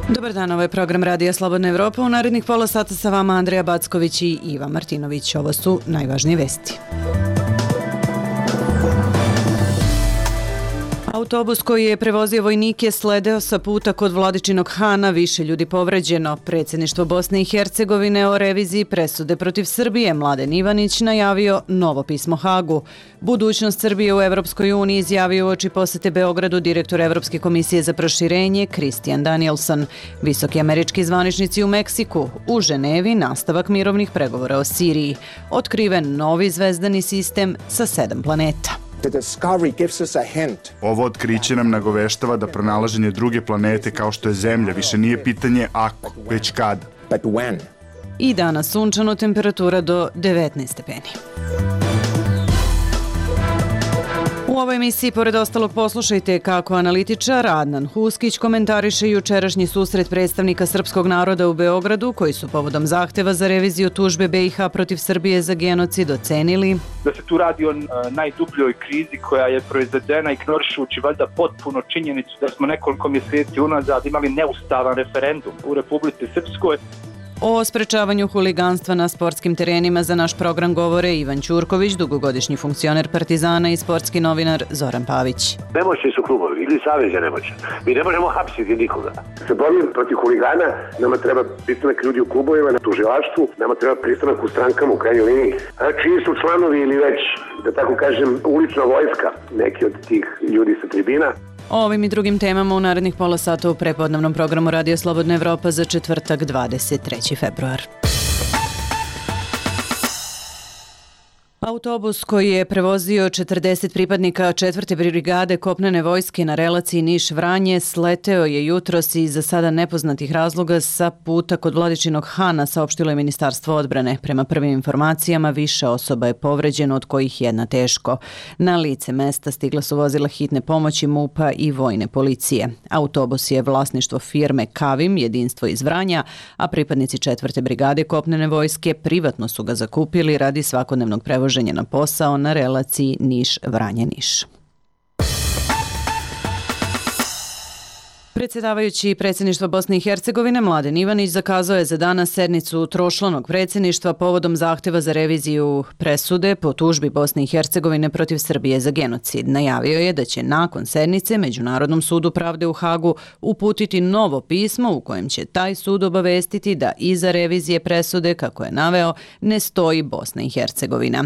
Dobar dan, ovo je program Radija Slobodna Evropa. U narednih pola sata sa vama Andreja Backović i Iva Martinović. Ovo su najvažnije vesti. Autobus koji je prevozio vojnike sledeo sa puta kod Vladičinog Hana, više ljudi povređeno. Predsjedništvo Bosne i Hercegovine o reviziji presude protiv Srbije. Mladen Ivanić najavio novo pismo Hagu. Budućnost Srbije u Evropskoj uniji izjavio uoči posete Beogradu direktor Evropske komisije za proširenje Christian Danielson. Visoki američki zvaničnici u Meksiku. U Ženevi nastavak mirovnih pregovora o Siriji. Otkriven novi zvezdani sistem sa 7 planeta. Ovo otkriće nam nagoveštava da pronalaženje druge planete kao što je Zemlja više nije pitanje ako, već kada. I danas sunčano, temperatura do 19 stepeni. U ovoj emisiji, pored ostalog, poslušajte kako analitičar Adnan Huskić komentariše jučerašnji susret predstavnika srpskog naroda u Beogradu, koji su povodom zahteva za reviziju tužbe BiH protiv Srbije za genocid ocenili da se tu radi o najdubljoj krizi koja je proizvedena ignorišući valjda potpuno činjenicu da smo nekoliko mjeseci unazad imali neustavan referendum u Republici Srpskoj. O sprečavanju huliganstva na sportskim terenima za naš program govore Ivan Ćurković, dugogodišnji funkcioner Partizana, i sportski novinar Zoran Pavić. Nemoćni su klubovi ili savez je nemoćan. Mi ne možemo hapsiti nikoga. Sa borbom protiv huligana nama treba pristanak ljudi u klubovima, na tužilaštvu, nama treba pristanak u strankama u krajnjoj liniji. A čiji su članovi ili već, da tako kažem, ulična vojska, neki od tih ljudi sa tribina. O ovim i drugim temama u narednih pola sata u prepodnevnom programu Radio Slobodna Evropa za četvrtak 23. februar. Autobus koji je prevozio 40 pripadnika 4. brigade kopnene vojske na relaciji Niš-Vranje sleteo je jutros iz za sada nepoznatih razloga sa puta kod Vladičinog Hana, saopštilo je Ministarstvo odbrane. Prema prvim informacijama, više osoba je povređeno, od kojih jedna teško. Na lice mesta stigla su vozila hitne pomoći MUP-a i vojne policije. Autobus je vlasništvo firme Kavim, jedinstvo iz Vranja, a pripadnici 4. brigade kopnene vojske privatno su ga zakupili radi svakodnevnog prevoženja na posao na relaciji Niš-Vranje-Niš. Predsjedavajući predsjedništva Bosne i Hercegovine Mladen Ivanić zakazao je za danas sednicu tročlanog predsjedništva povodom zahteva za reviziju presude po tužbi Bosne i Hercegovine protiv Srbije za genocid. Najavio je da će nakon sednice Međunarodnom sudu pravde u Hagu uputiti novo pismo u kojem će taj sud obavestiti da iza revizije presude, kako je naveo, ne stoji Bosna i Hercegovina.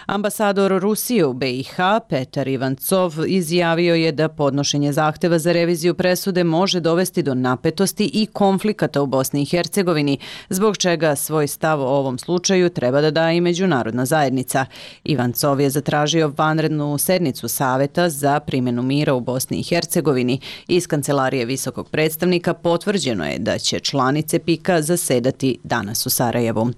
Ambasador Rusije u BiH Petar Ivancov izjavio je da podnošenje zahteva za reviziju presude može dovesti do napetosti i konflikata u Bosni i Hercegovini, zbog čega svoj stav o ovom slučaju treba da da i međunarodna zajednica. Ivancov je zatražio vanrednu sednicu Saveta za primjenu mira u Bosni i Hercegovini. Iz kancelarije visokog predstavnika potvrđeno je da će članice PIK-a zasedati danas u Sarajevu.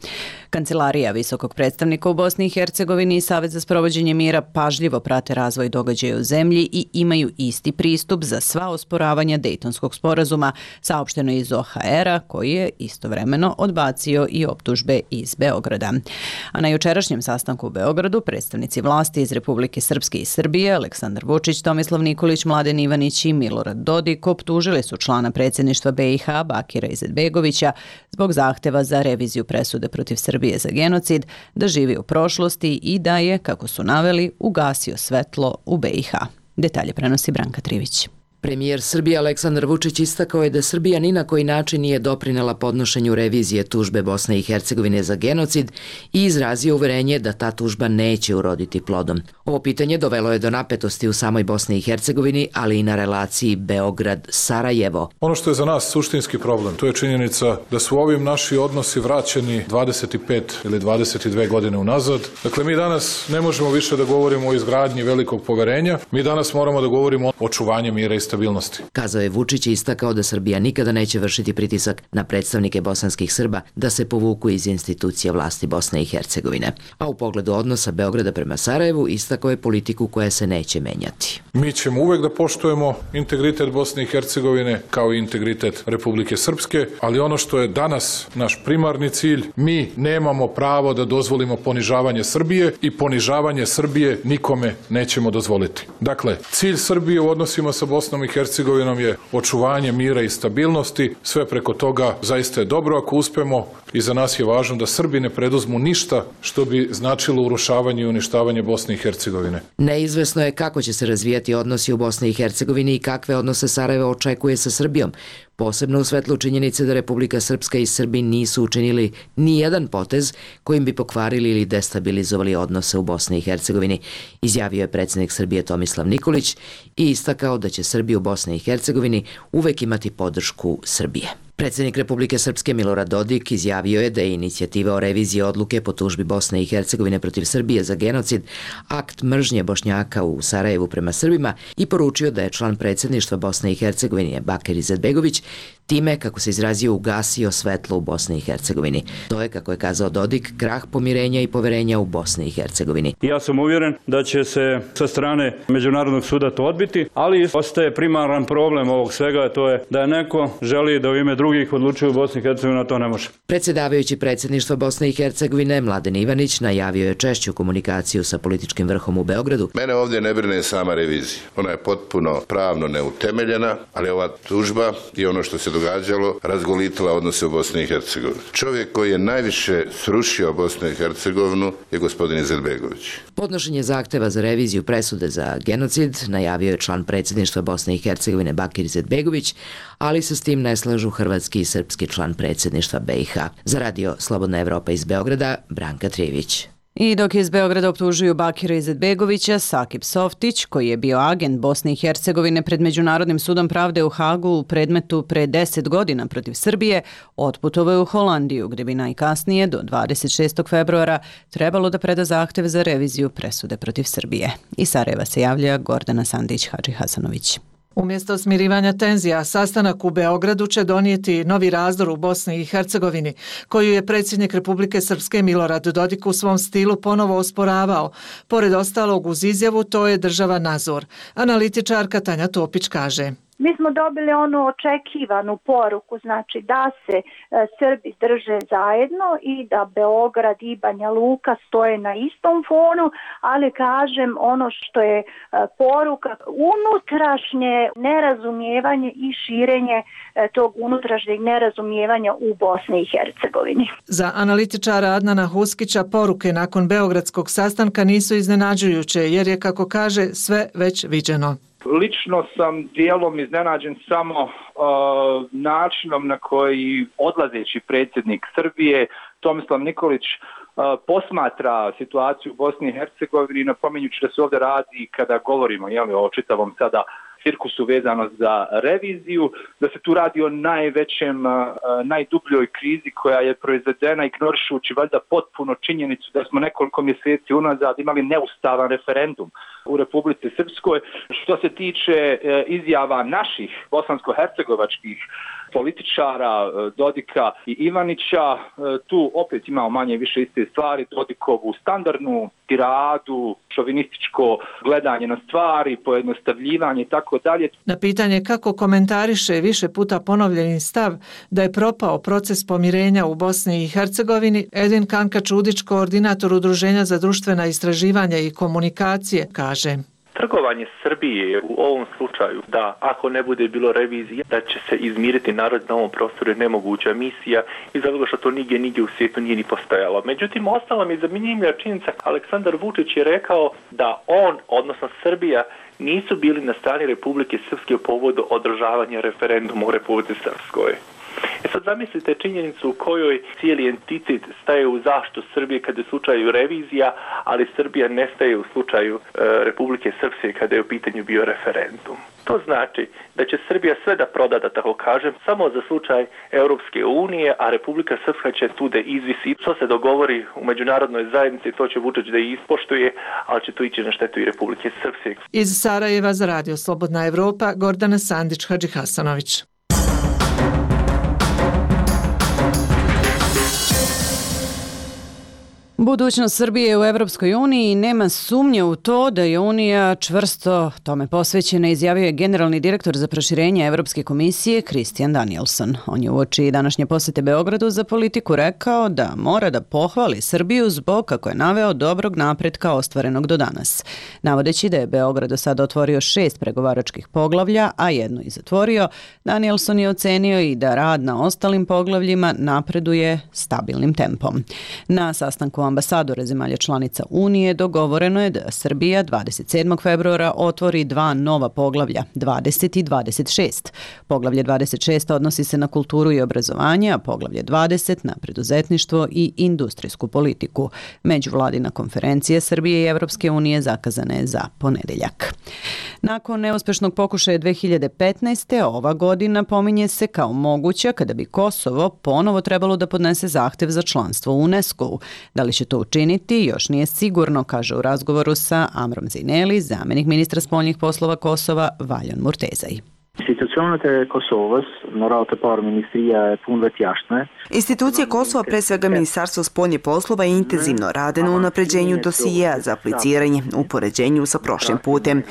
Kancelarija visokog predstavnika u Bosni i Hercegovini i Savet za sprovođenje mira pažljivo prate razvoj događaja u zemlji i imaju isti pristup za sva osporavanja Dejtonskog sporazuma, saopšteno iz OHR-a, koji je istovremeno odbacio i optužbe iz Beograda. A na jučerašnjem sastanku u Beogradu predstavnici vlasti iz Republike Srpske i Srbije, Aleksandar Vučić, Tomislav Nikolić, Mladen Ivanić i Milorad Dodik optužili su člana predsjedništva BiH Bakira Izetbegovića zbog zahteva za reviziju presude protiv Srbije za genocid, da živi u prošlosti i da je, kako su naveli, ugasio svetlo u BiH. Detalje prenosi Branka Trivić. Premijer Srbije Aleksandar Vučić istakao je da Srbija ni na koji način nije doprinela podnošenju revizije tužbe Bosne i Hercegovine za genocid i izrazio uverenje da ta tužba neće uroditi plodom. Ovo pitanje dovelo je do napetosti u samoj Bosni i Hercegovini, ali i na relaciji Beograd-Sarajevo. Ono što je za nas suštinski problem, to je činjenica da su ovim naši odnosi vraćeni 25 ili 22 godine unazad. Dakle, mi danas ne možemo više da govorimo o izgradnji velikog poverenja, mi danas moramo da govorimo o očuvanju mira i stabilnosti. Kazao je Vučić i istakao da Srbija nikada neće vršiti pritisak na predstavnike bosanskih Srba da se povuku iz institucije vlasti Bosne i Hercegovine. A u pogledu odnosa Beograda prema Sarajevu istakao je politiku koja se neće menjati. Mi ćemo uvek da poštujemo integritet Bosne i Hercegovine kao i integritet Republike Srpske, ali ono što je danas naš primarni cilj, mi nemamo pravo da dozvolimo ponižavanje Srbije i ponižavanje Srbije nikome nećemo dozvoliti. Dakle, cilj Srbije u odnosima sa Bosnom i Hercegovinom je očuvanje mira i stabilnosti. Sve preko toga zaista je dobro ako uspemo i za nas je važno da Srbi ne preduzmu ništa što bi značilo urušavanje i uništavanje Bosne i Hercegovine. Neizvesno je kako će se razvijati odnosi u Bosni i Hercegovini i kakve odnose Sarajevo očekuje sa Srbijom, posebno u svetlu činjenice da Republika Srpska i Srbi nisu učinili ni jedan potez kojim bi pokvarili ili destabilizovali odnose u Bosni i Hercegovini, izjavio je predsjednik Srbije Tomislav Nikolić i istakao da će Srbi u Bosni i Hercegovini uvek imati podršku Srbije. Predsjednik Republike Srpske Milorad Dodik izjavio je da je inicijativa o reviziji odluke po tužbi Bosne i Hercegovine protiv Srbije za genocid akt mržnje Bošnjaka u Sarajevu prema Srbima i poručio da je član predsjedništva Bosne i Hercegovine Bakir Izetbegović time, kako se izrazio, ugasio svetlo u Bosni i Hercegovini. To je, kako je kazao Dodik, krah pomirenja i poverenja u Bosni i Hercegovini. Ja sam uvjeren da će se sa strane Međunarodnog suda to odbiti, ali ostaje primaran problem ovog svega, to je da neko želi da u ime drugih odlučuju u Bosni i Hercegovini, a to ne može. Predsjedavajući predsjedništva Bosne i Hercegovine Mladen Ivanić najavio je češću komunikaciju sa političkim vrhom u Beogradu. Mene ovdje ne brine sama revizija. Ona je potpuno pravno neutemeljena, ali ova tužba i ono što se događalo razgolitila odnose u Bosni i Hercegovini. Čovjek koji je najviše srušio Bosnu i Hercegovinu je gospodin Izetbegović. Podnošenje zahteva za reviziju presude za genocid najavio je član predsjedništva Bosne i Hercegovine Bakir Izetbegović, ali se s tim ne slažu hrvatski i srpski član predsjedništva BiH. Za radio Slobodna Evropa iz Beograda, Branka Trijević. I dok iz Beograda optužuju Bakira Izetbegovića, Sakip Softić, koji je bio agent Bosne i Hercegovine pred Međunarodnim sudom pravde u Hagu u predmetu pre 10 godina protiv Srbije, otputovao je u Holandiju, gdje bi najkasnije do 26. februara trebalo da preda zahtev za reviziju presude protiv Srbije. Iz Sarajeva se javlja Gordana Sandić-Hadžihasanović. Umjesto smirivanja tenzija, sastanak u Beogradu će donijeti novi razdor u Bosni i Hercegovini, koju je predsjednik Republike Srpske Milorad Dodik u svom stilu ponovo osporavao. Pored ostalog uz izjavu, to je država Nazor. Analitičarka Tanja Topić kaže: Mi smo dobili onu očekivanu poruku, znači da se Srbi drže zajedno i da Beograd i Banja Luka stoje na istom fonu, ali kažem ono što je poruka, unutrašnje nerazumijevanje i širenje tog unutrašnjeg nerazumijevanja u Bosni i Hercegovini. Za analitičara Adnana Huskića poruke nakon beogradskog sastanka nisu iznenađujuće, jer je, kako kaže, sve već viđeno. Lično sam dijelom iznenađen samo načinom na koji odlazeći predsjednik Srbije Tomislav Nikolić posmatra situaciju u Bosni i Hercegovini, napominjući da se ovdje radi, kada govorimo o čitavom sada cirkusu vezano za reviziju, da se tu radi o najdubljoj krizi koja je proizvedena ignorišući valjda potpuno činjenicu da smo nekoliko mjeseci unazad imali neustavan referendum u Republici Srpskoj. Što se tiče izjava naših bosansko-hercegovačkih političara Dodika i Ivanića, tu opet imamo manje više iste stvari, Dodikovu standardnu tiradu, šovinističko gledanje na stvari, pojednostavljivanje i tako dalje. Na pitanje kako komentariše više puta ponovljeni stav da je propao proces pomirenja u Bosni i Hercegovini, Edin Kanka-Čudić, koordinator Udruženja za društvena istraživanja i komunikacije, kaže: Trgovanje Srbije u ovom slučaju, da ako ne bude bilo revizije, da će se izmiriti narod na ovom prostoru je nemoguća misija i zato što to nigdje u svijetu nije ni postojalo. Međutim, ostala mi je zanimljiva činjenica, Aleksandar Vučić je rekao da on, odnosno Srbija, nisu bili na strani Republike Srpske u povodu održavanja referenduma u Republici Srpskoj. Sad zamislite činjenicu u kojoj cijeli entitet staje u zaštitu Srbije kada je u slučaju revizija, ali Srbija nestaje u slučaju Republike Srpske kada je u pitanju bio referendum. To znači da će Srbija sve da proda, da tako kažem, samo za slučaj Europske unije, a Republika Srpska će tu da izvisi. Što se dogovori u međunarodnoj zajednici, to će Vučić da ispoštuje, ali će to ići na štetu i Republike Srpske. Iz Sarajeva za radio Slobodna Evropa, Gordana Sandić-Hadžihasanović. Budućnost Srbije u Evropskoj uniji nema sumnje u to da je Unija čvrsto tome posvećena, izjavio je generalni direktor za proširenje Evropske komisije Christian Danielsson. On je uoči današnje posete Beogradu za politiku rekao da mora da pohvali Srbiju zbog, kako je naveo, dobrog napretka ostvarenog do danas. Navodeći da je Beograd do sada otvorio 6 pregovaračkih poglavlja, a jedno i zatvorio, Danielsson je ocenio i da rad na ostalim poglavljima napreduje stabilnim tempom. Na sastanku ambasadora zemalja članica Unije dogovoreno je da Srbija 27. februara otvori 2 nova poglavlja, 20 i 26. Poglavlje 26 odnosi se na kulturu i obrazovanje, a poglavlje 20 na preduzetništvo i industrijsku politiku. Međuvladina konferencija Srbije i Evropske unije zakazana je za ponedeljak. Nakon neuspešnog pokušaja 2015. ova godina pominje se kao moguća kada bi Kosovo ponovo trebalo da podnese zahtev za članstvo u UNESCO-u. Da li će to učiniti, još nije sigurno, kaže u razgovoru sa Amrom Zineli, zamenik ministra spoljnih poslova Kosova, Valjon Murtezaj. Institucije Kosova, pre svega Ministarstvo spoljnih poslova, intenzivno rade na unapređenju dosijeja za apliciranje u poređenju sa prošlim putem.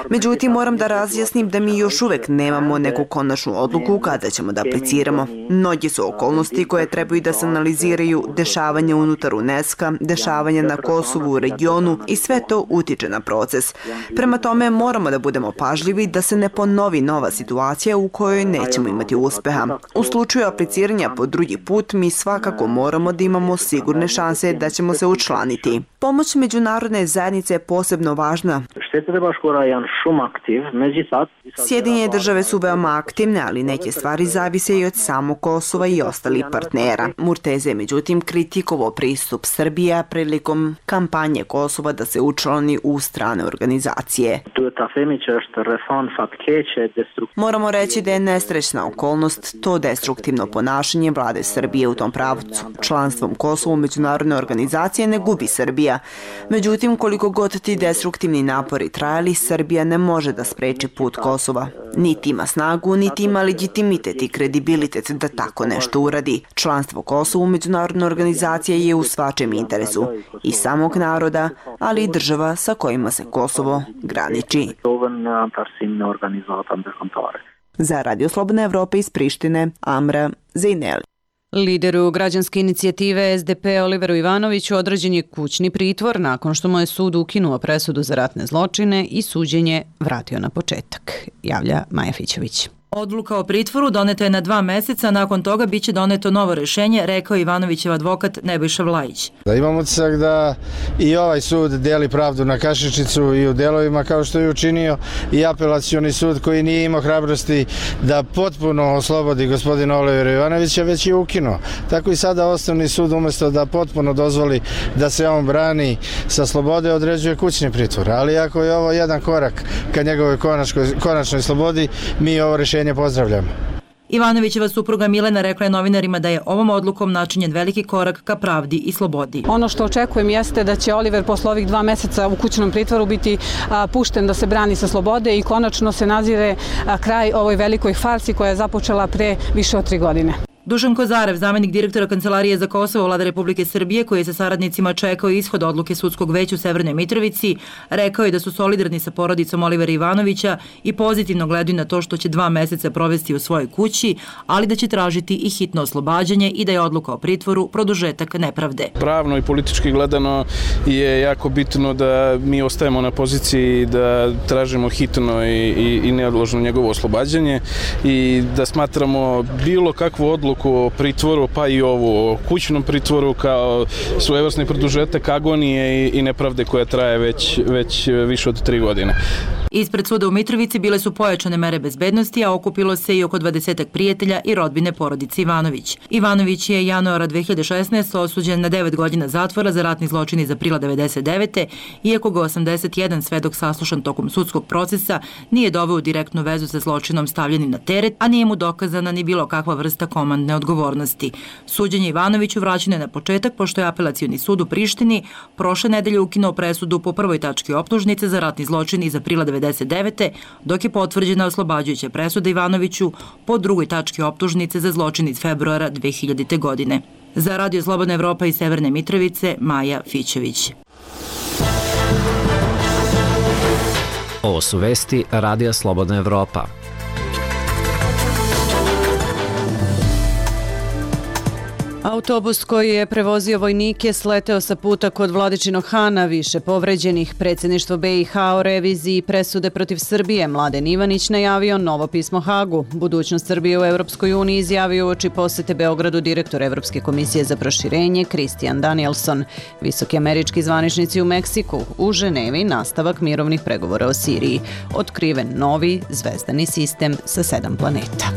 Međutim, moram da razjasnim da mi još uvek nemamo neku konačnu odluku kada ćemo da apliciramo. Mnogi su okolnosti koje trebaju da se analiziraju, dešavanja unutar UNESCO, dešavanja na Kosovu u regionu i sve to utiče na proces. Prema tome, moramo da budemo pažljivi da se ne ponovi nova situacija u kojoj nećemo imati uspeha. U slučaju apliciranja po drugi put, mi svakako moramo da imamo sigurne šanse da ćemo se učlaniti. Pomoć međunarodne zajednice je posebno važna. Sjedinjene države su veoma aktivne, ali neke stvari zavise i od samog Kosova i ostalih partnera. Murteze je međutim kritikovao pristup Srbija prilikom kampanje Kosova da se učlani u strane organizacije. Moramo reći da je nesrećna okolnost to destruktivno ponašanje vlade Srbije u tom pravcu. Članstvom Kosova u međunarodne organizacije ne gubi Srbija. Međutim, koliko god ti destruktivni napori trajali, Srbija ne može da spreči put Kosova. Niti ima snagu, niti ima legitimitet i kredibilitet da tako nešto uradi. Članstvo Kosova u međunarodne organizacije je u svačem interesu i samog naroda, ali i država sa kojima se Kosovo graniči. Za Radio Slobodna Evropa iz Prištine, Amra Zineli. Lideru građanske inicijative SDP Oliveru Ivanoviću određen je kućni pritvor nakon što mu je sud ukinuo presudu za ratne zločine i suđenje vratio na početak, javlja Maja Fićević. Odluka o pritvoru doneta je na 2 meseca, nakon toga biće doneto novo rešenje, rekao Ivanovićev advokat Nebojša Vlajić. Da imam utisak da i ovaj sud deli pravdu na kašičicu i u delovima kao što je učinio i apelacioni sud koji nije imao hrabrosti da potpuno oslobodi gospodina Olivera Ivanovića, već je ukinuo. Tako i sada osnovni sud umjesto da potpuno dozvoli da se on brani sa slobode, određuje kućni pritvor. Ali ako je ovo jedan korak ka njegovoj konačnoj slobodi, mi ovo rešenje pozdravljamo. Ivanovićeva supruga Milena rekla je novinarima da je ovom odlukom načinjen veliki korak ka pravdi i slobodi. Ono što očekujem jeste da će Oliver posle ovih 2 meseca u kućnom pritvoru biti pušten da se brani sa slobode i konačno se nazire kraj ovoj velikoj farsi koja je započela pre više od 3 godine. Dušan Kozarev, zamenik direktora Kancelarije za Kosovo Vlade Republike Srbije, koji je sa saradnicima čekao ishod odluke sudskog veća u Severnoj Mitrovici, rekao je da su solidarni sa porodicom Olivera Ivanovića i pozitivno gledaju na to što će 2 meseca provesti u svojoj kući, ali da će tražiti i hitno oslobađanje i da je odluka o pritvoru produžetak nepravde. Pravno i politički gledano je jako bitno da mi ostajemo na poziciji da tražimo hitno i neodložno njegovo oslobađanje i da smatramo bilo kakvu odluku o pritvoru, pa i ovo o kućnom pritvoru kao svojevrsni produžetak agonije i nepravde koja traje već više od 3 godine. Ispred suda u Mitrovici bile su pojačane mere bezbednosti, a okupilo se i oko 20 prijatelja i rodbine porodice Ivanović. Ivanović je januara 2016. osuđen na 9 godina zatvora za ratni zločin iz aprila 1999. Iako ga 81 svedok saslušan tokom sudskog procesa nije doveo u direktnu vezu sa zločinom stavljenim na teret, a nije mu dokazana ni bilo kakva vrsta komandne odgovornosti. Suđenje Ivanoviću vraćeno je na početak pošto je apelacioni sud u Prištini prošle nedelje ukinuo presudu po prvoj tački optužnice za ratni zločin iz aprila 1999. dok je potvrđena oslobađajuća presuda Ivanoviću po drugoj tački optužnice za zločin iz februara 2000. godine. Za Radio Slobodna Evropa iz Severne Mitrovice, Maja Fićević. Ovo su vesti Radija Slobodna Evropa. Autobus koji je prevozio vojnike sleteo sa puta kod Vladičinog Hana, više povređenih. Predsjedništvo BiH o reviziji presude protiv Srbije. Mladen Ivanić najavio novo pismo Hagu. Budućnost Srbije u Europskoj uniji izjavio uoči posete Beogradu direktor Evropske komisije za proširenje Christian Danielson. Visoki američki zvaničnici u Meksiku, u Ženevi nastavak mirovnih pregovora o Siriji. Otkriven novi zvezdani sistem sa 7 planeta.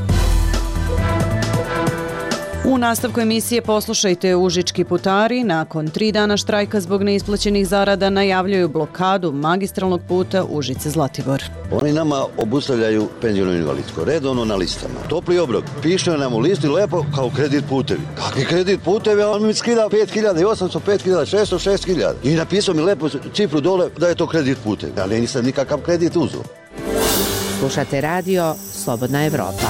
U nastavku emisije poslušajte, užički putari nakon 3 dana štrajka zbog neisplaćenih zarada najavljuju blokadu magistralnog puta Užice-Zlatibor. Oni nama obustavljaju penziono invalidsko, redovno na listama. Topli obrok, piše nam u listi lepo kao kredit putevi. Kakvi kredit putevi? On mi skida 5.800, 5.600, 6.000. I napisao mi lepo cifru dole da je to kredit putevi. Ja nisam nikakav kredit uzeo. Slušate radio Slobodna Evropa.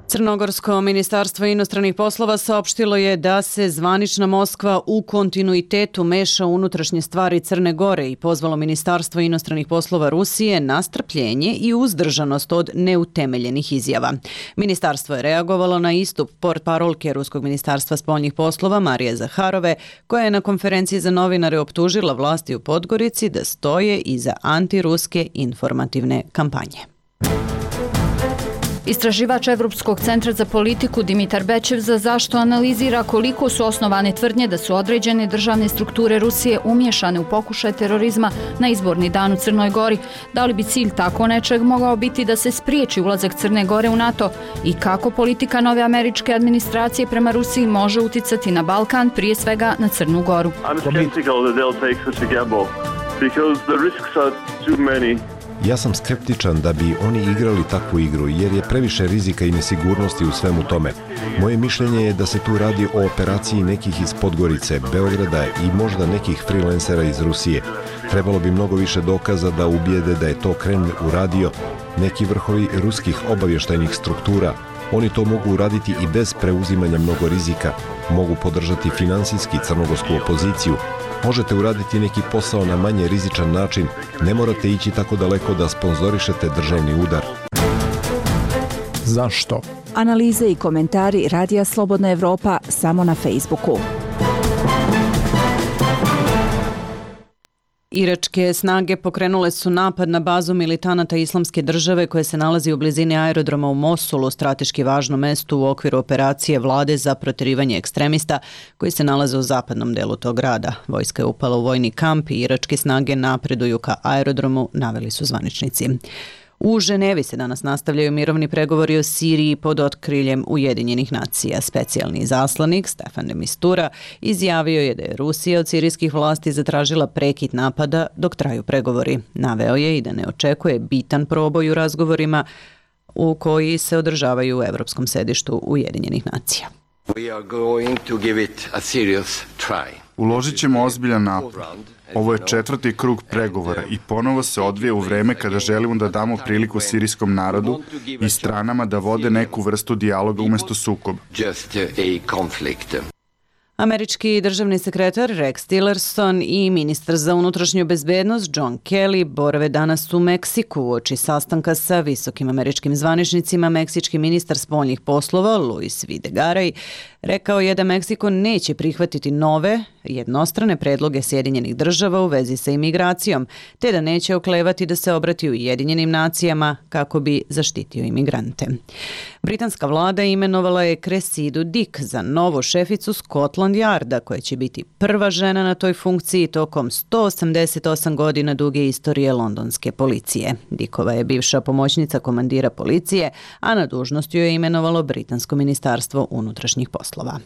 Crnogorsko ministarstvo inostranih poslova saopštilo je da se zvanična Moskva u kontinuitetu meša u unutrašnje stvari Crne Gore i pozvalo ministarstvo inostranih poslova Rusije na strpljenje i uzdržanost od neutemeljenih izjava. Ministarstvo je reagovalo na istup portparolke Ruskog ministarstva spoljnih poslova Marije Zaharove, koja je na konferenciji za novinare optužila vlasti u Podgorici da stoje iza antiruske informativne kampanje. Istraživač Evropskog centra za politiku Dimitar Bečev za zašto analizira koliko su osnovane tvrdnje da su određene državne strukture Rusije umješane u pokušaj terorizma na izborni dan u Crnoj Gori. Da li bi cilj tako nečeg mogao biti da se spriječi ulazak Crne Gore u NATO i kako politika nove američke administracije prema Rusiji može uticati na Balkan, prije svega na Crnu Goru? Ja sam skeptičan da bi oni igrali takvu igru jer je previše rizika i nesigurnosti u svemu tome. Moje mišljenje je da se tu radi o operaciji nekih iz Podgorice, Beograda i možda nekih freelancera iz Rusije. Trebalo bi mnogo više dokaza da ubijede da je to Kremlj uradio, neki vrhovi ruskih obavještajnih struktura. Oni to mogu uraditi i bez preuzimanja mnogo rizika. Mogu podržati finansijski crnogorsku opoziciju. Možete uraditi neki posao na manje rizičan način. Ne morate ići tako daleko da sponzorišete državni udar. Zašto? Analize i komentari Radija Slobodna Evropa samo na Facebooku. Iračke snage pokrenule su napad na bazu militanata Islamske države koje se nalazi u blizini aerodroma u Mosulu, strateški važnom mestu u okviru operacije vlade za proterivanje ekstremista koji se nalaze u zapadnom delu tog grada. Vojska je upala u vojni kamp i iračke snage napreduju ka aerodromu, naveli su zvaničnici. U Ženevi se danas nastavljaju mirovni pregovori o Siriji pod otkriljem Ujedinjenih nacija. Specijalni izaslanik Stefan de Mistura izjavio je da je Rusija od sirijskih vlasti zatražila prekid napada dok traju pregovori. Naveo je i da ne očekuje bitan proboj u razgovorima u koji se održavaju u Evropskom sedištu Ujedinjenih nacija. Uložit ćemo ozbiljan napor. Ovo je 4. krug pregovora i ponovo se odvija u vreme kada želimo da damo priliku sirijskom narodu i stranama da vode neku vrstu dijaloga umjesto sukoba. Američki državni sekretar Rex Tillerson i ministar za unutrašnju bezbednost John Kelly borave danas u Meksiku uoči sastanka sa visokim američkim zvaničnicima. Meksički ministar spoljnih poslova Luis Videgaray rekao je da Meksiko neće prihvatiti nove jednostrane predloge Sjedinjenih država u vezi sa imigracijom, te da neće oklevati da se obrati Ujedinjenim nacijama kako bi zaštitio imigrante. Britanska vlada imenovala je Cressidu Dick za novu šeficu Scotland Yarda, koja će biti prva žena na toj funkciji tokom 188 godina duge istorije londonske policije. Dickova je bivša pomoćnica komandira policije, a na dužnost ju je imenovalo Britansko ministarstvo unutrašnjih poslova.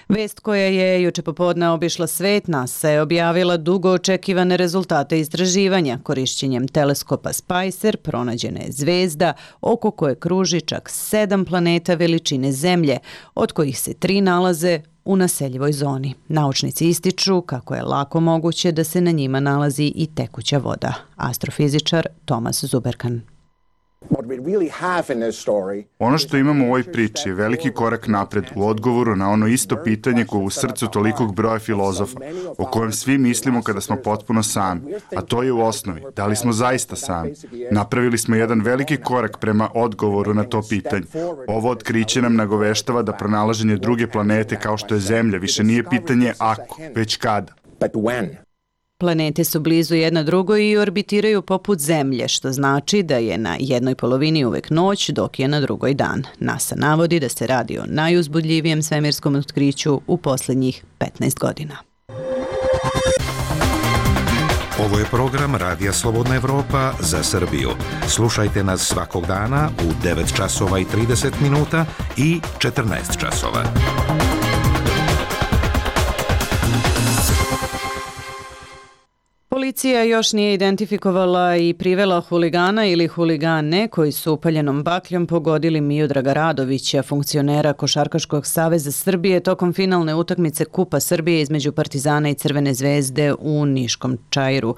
Vest koja je juče popodne obišla svet, NASA je objavila dugo očekivane rezultate istraživanja. Korišćenjem teleskopa Spicer pronađena je zvezda oko koje kruži čak 7 planeta veličine Zemlje, od kojih se 3 nalaze u naseljivoj zoni. Naučnici ističu kako je lako moguće da se na njima nalazi i tekuća voda. Astrofizičar Tomas Zuberkan. Ono što imamo u ovoj priči je veliki korak napred u odgovoru na ono isto pitanje koje u srcu tolikog broja filozofa, o kojem svi mislimo kada smo potpuno sami, a to je u osnovi, da li smo zaista sami. Napravili smo jedan veliki korak prema odgovoru na to pitanje. Ovo otkriće nam nagoveštava da pronalaženje druge planete kao što je Zemlja više nije pitanje ako, već kada. Planete su blizu jedna drugoj i orbitiraju poput Zemlje, što znači da je na jednoj polovini uvek noć, dok je na drugoj dan. NASA navodi da se radi o najuzbudljivijem svemirskom otkriću u posljednjih 15 godina. Ovo je program Radija Slobodna Evropa za Srbiju. Slušajte nas svakog dana u 9 časova i 30 minuta i 14 časova. Policija još nije identifikovala i privela huligana ili huligane koji su upaljenom bakljom pogodili Miodraga Radovića, funkcionera Košarkaškog saveza Srbije, tokom finalne utakmice Kupa Srbije između Partizana i Crvene zvezde u Niškom Čairu.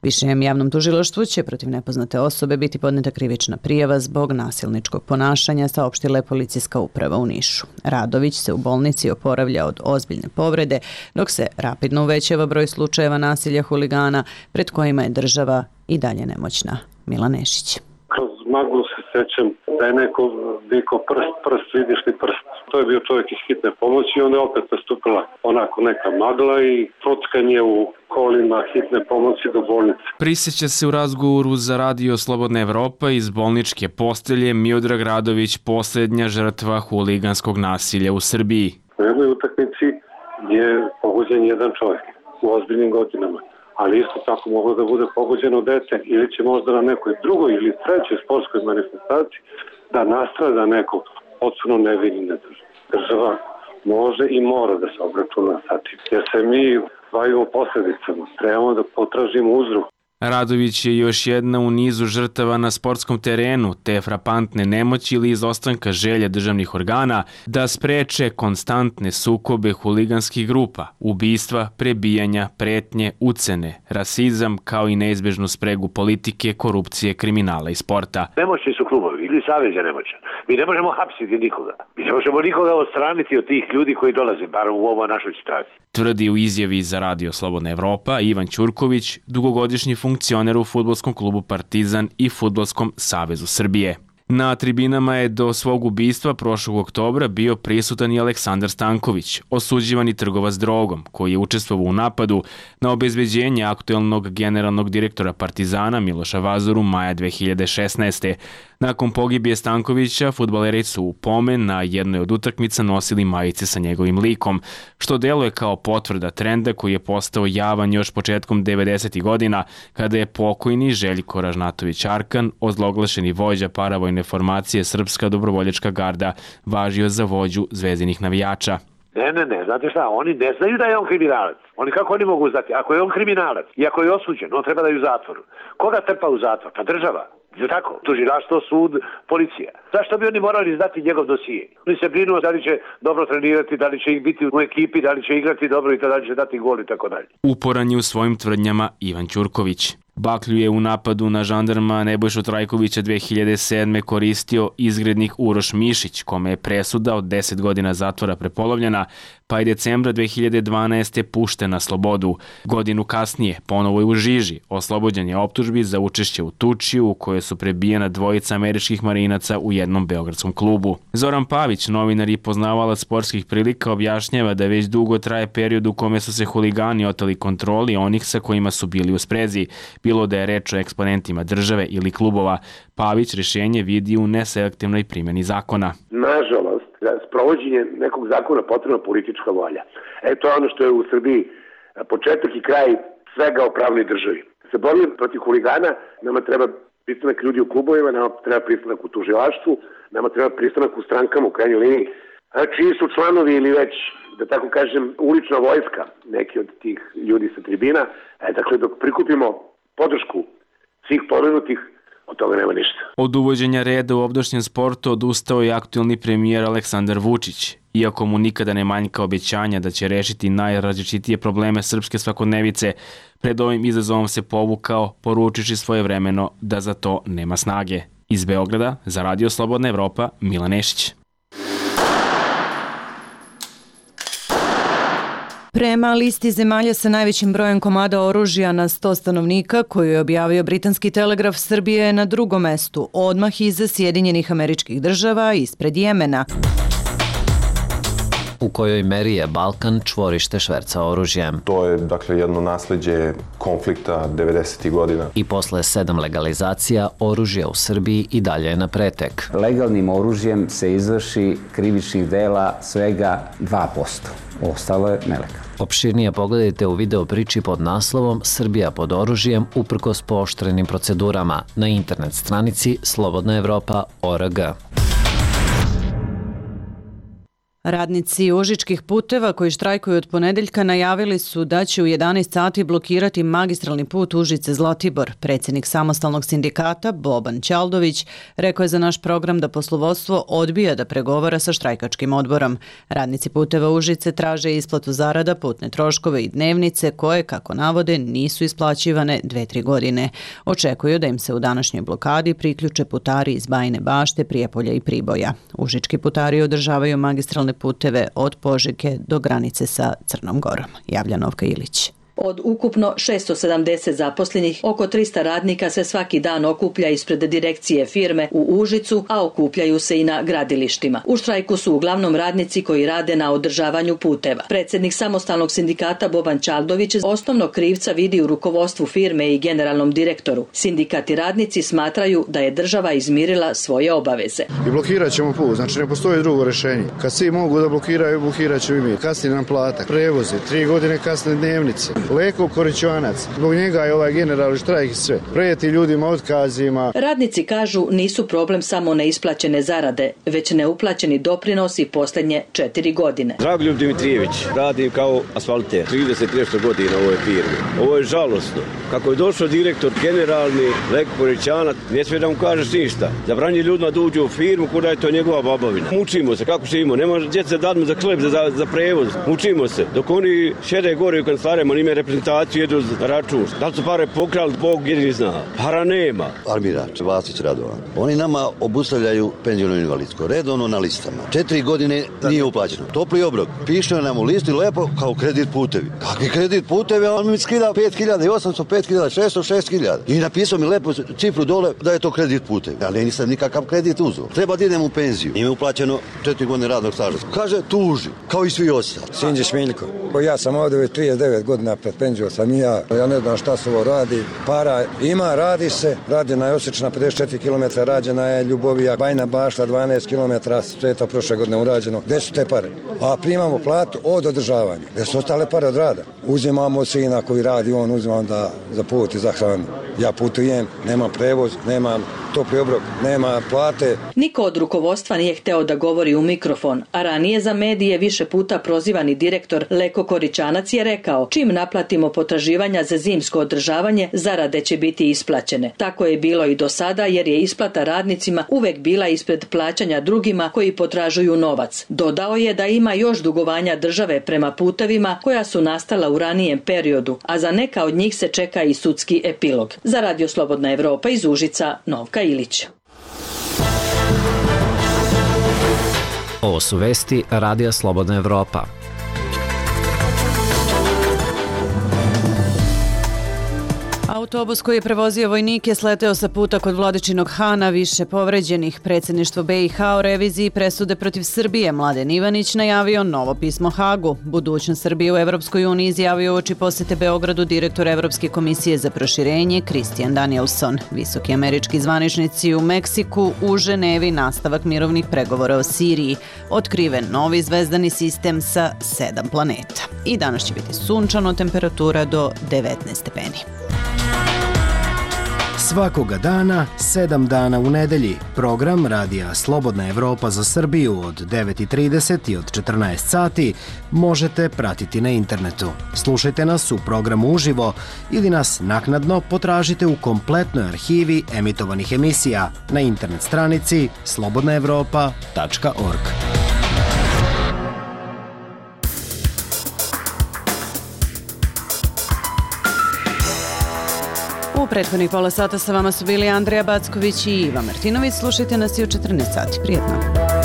Višem javnom tužilaštvu će protiv nepoznate osobe biti podneta krivična prijava zbog nasilničkog ponašanja, saopštila je policijska uprava u Nišu. Radović se u bolnici oporavlja od ozbiljne povrede, dok se rapidno uvećava broj slučajeva nasilja huligana pred kojima je država i dalje nemoćna. Milan Nešić. Kroz maglu se sećam da je neko vikao prst, vidiš li prst. To je bio čovjek iz hitne pomoći i onda je opet nastupila onako neka magla i prockanje u kolima hitne pomoći do bolnice. Prisjeća se u razgovoru za Radio Slobodna Evropa iz bolničke postelje Miodrag Radović, posljednja žrtva huliganskog nasilja u Srbiji. U jednoj utakmici je pogođen jedan čovjek u ozbiljnim godinama, ali isto tako moglo da bude pogođeno dete ili će možda na nekoj drugoj ili trećoj sportskoj manifestaciji da nastrada neko potpuno nevini nedržava. Država može i mora da se obračuna sa tim, jer se mi bavimo posljedicama, trebamo da potražimo uzrok. Radović je još jedna u nizu žrtava na sportskom terenu, te frapantne nemoći ili izostanka želje državnih organa da spreče konstantne sukobe huliganskih grupa, ubistva, prebijanja, pretnje, ucene, rasizam, kao i neizbežnu spregu politike, korupcije, kriminala i sporta. Nemoćni su klubovi ili savez je nemoćan. Mi ne možemo hapsiti nikoga. Mi ne možemo nikoga odstraniti od tih ljudi koji dolaze, bar u ovoj našoj situaciji. Tvrdi u izjavi za Radio Slobodna Evropa Ivan Ćurković, dugogodišnji funkcioner u fudbalskom klubu Partizan i Fudbalskom savezu Srbije. Na tribinama je do svog ubistva prošlog oktobra bio prisutan i Aleksandar Stanković, osuđivani trgovac drogom, koji je učestvovao u napadu na obezbeđenje aktuelnog generalnog direktora Partizana Miloša Vazoru maja 2016. Nakon pogibije Stankovića, fudbaleri su u pomen na jednoj od utakmica nosili majice sa njegovim likom, što deluje kao potvrda trenda koji je postao javan još početkom 90. godina, kada je pokojni Željko Ražnatović Arkan, ozloglašeni vođa paravojne formacije Srpska dobrovoljačka garda, važio za vođu zvezdinih navijača. Ne, znate šta, oni ne znaju da je on kriminalac. Kako oni mogu znati? Ako je on kriminalac i ako je osuđen, on treba da je u zatvoru. Koga trpa u zatvor? Pa država. Je tako? Tužilaštvo, sud, policija. Zašto bi oni morali izdati njegov dosije? Oni se brinu da li će dobro trenirati, da li će ih biti u ekipi, da li će igrati dobro i da li će dati gol i tako dalje. Uporan je u svojim tvrdnjama Ivan Ćurković. Baklju je u napadu na žandarma Nebojšu Trajkovića 2007. koristio izgrednik Uroš Mišić, kome je presuda od 10 godina zatvora prepolovljena, pa je decembra 2012. pušten na slobodu. Godinu kasnije ponovo je u žiži, oslobođen je optužbi za učešće u tuči u kojoj su prebijena dvojica američkih marinaca u jednom beogradskom klubu. Zoran Pavić, novinar i poznavalac sportskih prilika, objašnjava da već dugo traje period u kome su se huligani oteli kontroli onih sa kojima su bili u sprezi, bilo da je reč o eksponentima države ili klubova. Pavić rješenje vidi u neselektivnoj primjeni zakona. Nažalost, za sprovođenje nekog zakona potrebna politička volja. To je ono što je u Srbiji početak i kraj svega o pravnoj državi. Se borimo protiv huligana, nama treba pristanak ljudi u klubovima, nama treba pristanak u tužilaštvu, nama treba pristanak u strankama u krajnjoj liniji. Čiji su članovi ili već, da tako kažem, ulična vojska, neki od tih ljudi sa tribina. Dakle, dok prikupimo podršku svih pomenutih, od toga nema ništa. Od uvođenja reda u ovdašnjem sportu odustao je aktuelni premijer Aleksandar Vučić. Iako mu nikada ne manjka obećanja da će rešiti najrazličitije probleme srpske svakodnevice, pred ovim izazovom se povukao, poručiši svojevremeno da za to nema snage. Iz Beograda za Radio Slobodna Evropa, Milan Nešić. Prema listi zemalja sa najvećim brojem komada oružja na 100 stanovnika, koju je objavio Britanski telegraf, Srbija je na drugom mestu, odmah iza Sjedinjenih Američkih Država, ispred Jemena. U kojoj meri je Balkan čvorište šverca oružjem? To je, jedno nasleđe konflikta 90. godina. I posle 7 legalizacija, oružje u Srbiji i dalje je na pretek. Legalnim oružjem se izvrši krivičnih dela svega 2%. Ostalo je nelegalno. Opširnije pogledajte u video priči pod naslovom Srbija pod oružjem uprkos pooštrenim procedurama na internet stranici slobodnaevropa.org. Radnici Užičkih puteva koji štrajkuju od ponedeljka najavili su da će u 11 sati blokirati magistralni put Užice-Zlatibor. Predsjednik samostalnog sindikata Boban Ćaldović rekao je za naš program da poslovodstvo odbija da pregovara sa štrajkačkim odborom. Radnici puteva Užice traže isplatu zarada, putne troškove i dnevnice koje, kako navode, nisu isplaćivane 2-3 godine. Očekuju da im se u današnjoj blokadi priključe putari iz Bajine Bašte, Prijepolja i Priboja. Užički putari održavaju magistralne puteve od Požege do granice sa Crnom Gorom. Javlja Novka Ilić. Od ukupno 670 zaposlenih, oko 300 radnika se svaki dan okuplja ispred direkcije firme u Užicu, a okupljaju se i na gradilištima. U štrajku su uglavnom radnici koji rade na održavanju puteva. Predsjednik samostalnog sindikata Boban Ćaldović osnovnog krivca vidi u rukovodstvu firme i generalnom direktoru. Sindikat i radnici smatraju da je država izmirila svoje obaveze. I blokirat ćemo put, znači ne postoji drugo rješenje. Kad svi mogu da blokiraju, blokirat ćemo i mi. Kasni nam plata, prevoze, 3 godine kasne dnevnice. Leko Korićanac, zbog njega je ovaj generalni štrajk i sve. Prijeti ljudima otkazima. Radnici kažu nisu problem samo neisplaćene zarade, već neuplaćeni doprinosi posljednje 4 godine. Dragoljub Dimitrijević, radim kao asfalter, 30 nešto godina u ovoj firmi. Ovo je žalosno. Kako je došao direktor generalni Leko Korićanac, ne smije da mu kažeš ništa. Zabranje ljudima da uđu u firmu, kuda je to njegova babovina. Mučimo se, kako živimo, ne može djeca dadmu za hleb, za prevoz. Mučimo se, dok oni šede gore u kancelarima, oni reprezentaciju jedu za račun. Da li su pare pokrali, Bog jedini zna. Para nema. Armirač, Vasić Radovan. Oni nama obustavljaju penziono invalidsko. Redovno na listama. 4 godine nije uplaćeno. Topli obrok. Piše nam u listi lepo kao kredit putevi. Kakvi kredit putevi? On mi skida 5.800, 5.600, 6.000. I napisao mi lepo cifru dole da je to kredit putevi. Ali nisam nikakav kredit uzeo. Treba da idem u penziju. Nije uplaćeno 4 godine radnog staža. Kaže, tuži, kao i svi ostali. Sinđić Miljko. Ja sam ovdje već 39 godina pred penzijom sam ja ne znam šta se ovo radi. Para ima, radi se, radi na Josična 54 km, rađena je Ljubovija, Bajna Bašta 12 km, sve je to prošle godine urađeno. Gde su te pare? A primamo platu od održavanja. Gde su ostale pare od rada? Uzimamo sina koji radi, on uzimam za put i za hranu. Ja putujem, nemam prevoz, nemam topli obrok, nema plate. Niko od rukovodstva nije hteo da govori u mikrofon, a ranije za medije više puta prozivani direktor Leko Korićanac je rekao, čim naplatimo potraživanja za zimsko održavanje, zarade će biti isplaćene. Tako je bilo i do sada, jer je isplata radnicima uvek bila ispred plaćanja drugima koji potražuju novac. Dodao je da ima još dugovanja države prema putevima koja su nastala u ranijem periodu, a za neka od njih se čeka i sudski epilog. Za Radio Slobodna Evropa iz Užica, Novka Ilić. Ovo su vesti Radija Slobodna Evropa. Autobus koji je prevozio vojnike sleteo sa puta kod Vladičinog Hana, više povređenih. Predsjedništvo BiH o reviziji presude protiv Srbije. Mladen Ivanić najavio novo pismo Hagu. Budućnost Srbije u Evropskoj uniji izjavio uoči posete Beogradu direktor Evropske komisije za proširenje Christian Danielson. Visoki američki zvaničnici u Meksiku, u Ženevi nastavak mirovnih pregovora o Siriji. Otkriven novi zvezdani sistem sa 7 planeta. I danas će biti sunčano, temperatura do 19 stepeni. Svakoga dana, 7 dana u nedelji. Program Radija Slobodna Evropa za Srbiju od 9.30 i od 14 sati možete pratiti na internetu. Slušajte nas u programu uživo ili nas naknadno potražite u kompletnoj arhivi emitovanih emisija na internet stranici slobodnaevropa.org. U prethodnih pola sata sa vama su bili Andreja Backović i Iva Martinović. Slušajte nas i u 14 sati. Prijetno.